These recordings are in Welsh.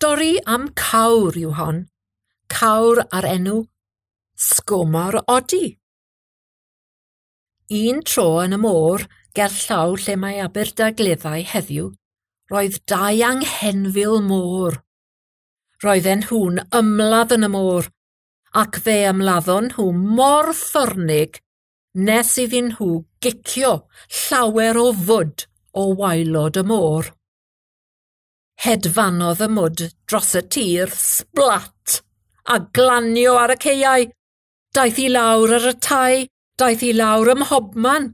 Stori am cawr yw hon. Cawr ar enw Sgwmar Odi. Un tro yn y môr, gerllaw lle mae Aberdaugleddau heddiw, roedd dau anghenfil môr. Roedden nhw'n ymladd yn y môr, ac fe ymladdon nhw mor ffyrnig nes iddyn nhw gicio llawer o fwd o waelod y môr. Hedfanodd y mwd dros y tir, sblat, a glanio ar y caeau. Daeth i lawr ar y tai, daeth i lawr ym mhobman.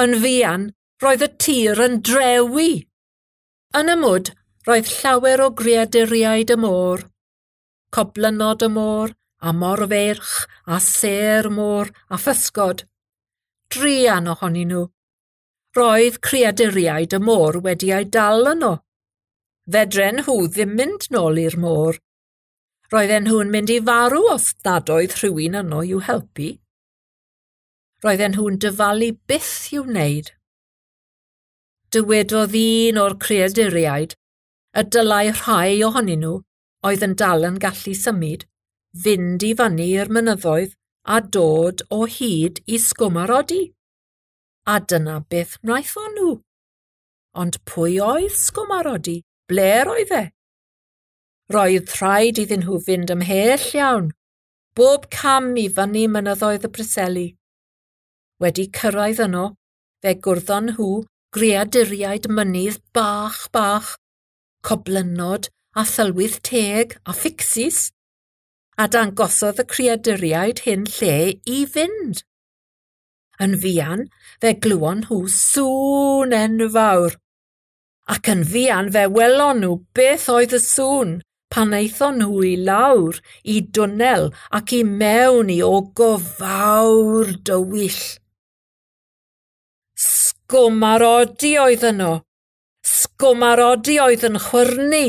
Yn fuan, roedd y tir yn drewi. Yn y mwd, roedd llawer o greaduriaid y môr. Coblynod y môr, a morfeirch, a sêr môr, a physgod. Druan ohonyn nhw. Roedd creaduriaid y môr wedi eu dal yno. Fedren nhw ddim mynd nôl i'r môr. Roedden nhw'n mynd i farw os nad oedd rhywun yno i'w helpu. Roedden nhw'n dyfalu byth i'w wneud. Dywedodd un o'r creaduriaid y dylai rhai ohonyn nhw oedd yn dal yn gallu symud, fynd i fyny i'r mynyddoedd a dod o hyd i Sgwmar Odi. A dyna beth wnaethon nhw. Ond pwy oedd Sgwmar Odi? Ble'r oedd e? Roedd rhaid iddyn nhw fynd ymhell iawn, bob cam i fyny mynyddoedd y Preseli. Wedi cyrraedd yno, fe gwrddon nhw greaduriaid mynydd bach bach, coblynod a thylwyth teg a ffixis, a dangosodd y creaduriaid hyn lle i fynd. Yn fuan, fe glywon nhw sŵn enfawr, ac yn fuan fe welon nhw beth oedd y sŵn pan aethon nhw i lawr i dwnnel ac i mewn i ogof fawr dywyll. Sgwmar Odi oedd yno. Sgwmar Odi oedd yn chwyrnu.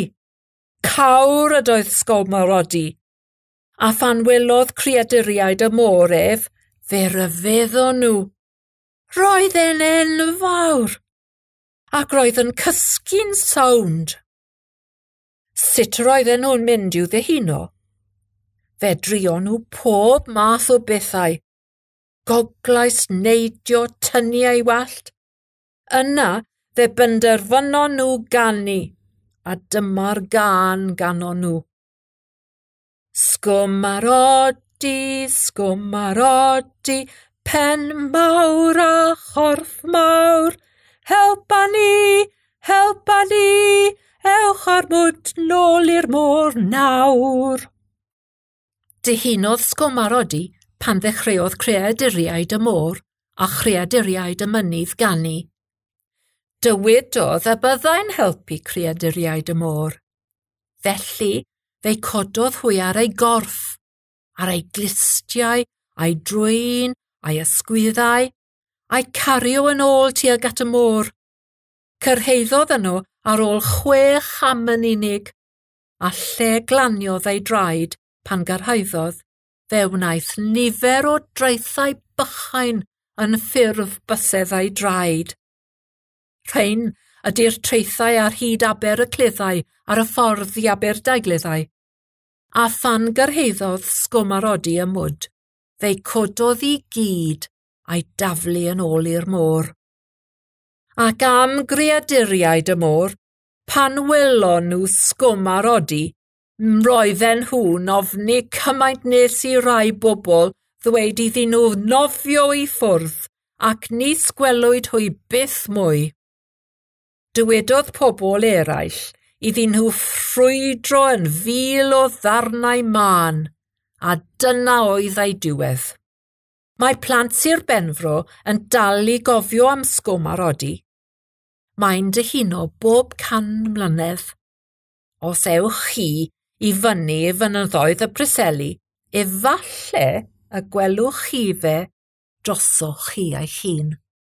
Cawr ydoedd Sgwmar Odi. A phan welodd creaduriaid y môr ef, fe ryfeddon nhw. Roedd e'n enfawr, ac roedd yn cysgu'n sownd. Sut roedden nhw'n mynd i'w ddihuno? Fe drion nhw pob math o bethau. Goglais, neidio, tynnu ei wallt. Yna fe benderfynon nhw ganu, a dyma'r gân ganon nhw. Sgwmar Odi, Sgwmar Odi, pen mawr a chorff mawr, helpa ni, helpa ni, ewch â'r mwd nôl i'r môr nawr. Dihunodd Sgwmar Odi pan ddechreuodd creaduriaid y môr a chreaduriaid y mynydd ganu. Dywedodd y byddai'n helpu creaduriaid y môr. Felly, fe'i cododd hwy ar ei gorff, ar ei glustiau, a'i drwyn, a'i ysgwyddau, a'i cario yn ôl tuag at y môr. Cyrhaeddodd yno ar ôl 6 cham yn unig, a lle glaniodd ei draed pan gyrhaeddodd, fe wnaeth nifer o draethau bychain yn ffurf bysedd ei draed. Rhain ydy'r traethau ar hyd Aber y Cleddau ar y ffordd i Aberdaugleddau. A phan gyrhaeddodd Sgwmar Odi y mwd, fe'i cododd i gyd a'i daflu yn ôl i'r môr. Ac am greaduriaid y môr, pan welon nhw Sgwmar Odi, roedden nhw'n ofni cymaint nes i rai bobl ddweud iddyn nhw nofio i ffwrdd ac nis gwelwyd hwy byth mwy. Dywedodd pobl eraill iddyn nhw ffrwydro yn fil o ddarnau mân, a dyna oedd ei diwedd. Mae plant Sir Benfro yn dal i gofio am Sgwmar Odi. Mae'n dyhuno bob 100 mlynedd. Os ewch chi i fyny i fynyddoedd y Preseli, efallai y gwelwch chi fe drosoch chi eich hun.